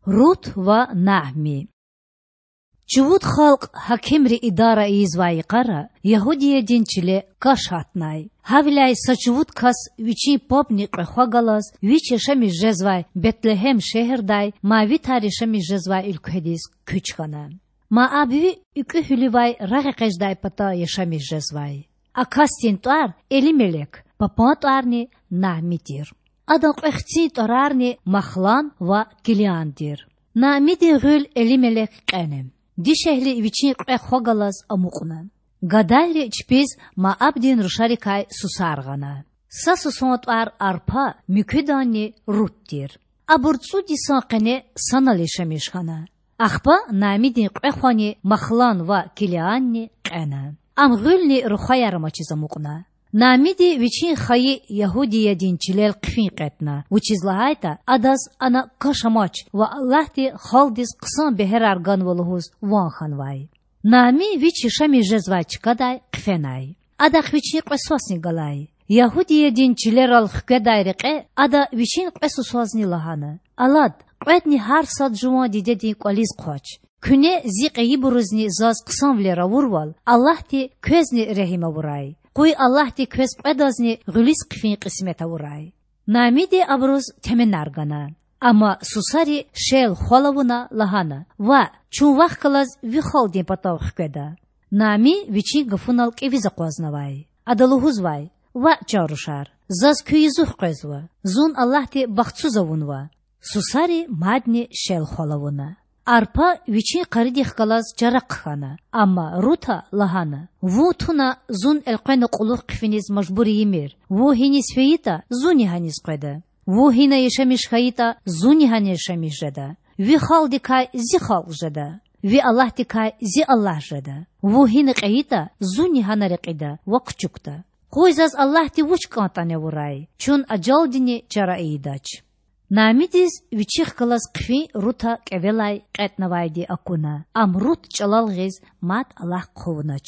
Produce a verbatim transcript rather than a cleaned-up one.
Рут ва Наъми. Чувуд халкь гьакимри идара ийизвай йикъара Ягьудиядин чиле каш гьатнай. Гьавиляй са чувуд кас вичин пабни кьве хва галаз вич яшамиш жезвай Бетлегьем шегьердай Маавитар яшамиш жезвай уьлкведиз куьч хьана. Маавви уькӀуь гьуьлуьвай рагъэкъечІдай пата яшамиш жезвай. А касдин тІвар Элимелек, папан тІварни Наъми тир. Адан кьве хцин тІварарни Махлан ва Килиан тир. Наъмидин гъуьл Элимелек кьена. Дишегьли вичин кьве хва галаз амукьна. Гадайри чпиз Маавдин рушарикай сусар гъана. Са сусан тІвар Арпа, муькуьданни Рут тир. Абур цІуд йисан къене санал яшамиш хьана. Ахпа Наъмидин кьве хвани Махлан ва Килианни кьена. Ам гъуьлни рухваяр амачиз амукьна. Наъмиди вичин хайи Ягьудиядин чилел хъфин кьетІна, вучиз лагьайтІа адаз ана каш амач ва Аллагьди халкьдиз хъсан бегьерар ганва лугьуз ван хьанвай. Наъми вич яшамиш жезвай чкадай хъфенай. Адахъ вичин кьве свасни галай. Ягьудиядин чилерал хкведай рекье ада вичин кьве сусазни лагьана: Алад, кьведни гьар сад жуван дидедин кІвализ хъвач. Куьне зи кьейибурузни заз хъсанвилер авурвал, Аллагьди квезни регьим авурай. Къуй Аллагьди квез кьведазни гъуьлуьз хъфин кьисмет авурай. Наъмиди абуруз теменар гана. Амма сусари шел-хвал авуна лагьана: Ваъ, чун вахъ галаз ви халкьдин патав хкведа. Наъми вичин гафунал кІевиз акъвазнавай. Ада лугьузвай: Ваъ, чан рушар, заз куь язух къвезва. Зун Аллагьди бахтсуз авунва. Сусари мадни шел-хвал авуна. Арпа вичин къаридихъ галаз чара хъхьана, амма Рута лагьана: Вун туна зун элкъвена кьулухъ хъфиниз мажбур ийимир. Вун гьиниз фейитІа, зунни гьаниз къведа. Вун гьина яшамиш хьайитІа, зунни гьана яшамиш жеда. Ви халкьдикай зи халкь жеда, ви Аллагьдикай зи Аллагь жеда. Вун гьина кьейитІа, зунни гьана рекьида ва хъчукда. Къуй заз Аллагьди вуч кІантІани авурай, чун ажалдини чара ийидач. Наъмидиз вичихъ галаз хъфин Рута кІевелай кьетІнавайди акуна, ам Рут чІалал гъиз мад алахъ хъувунач.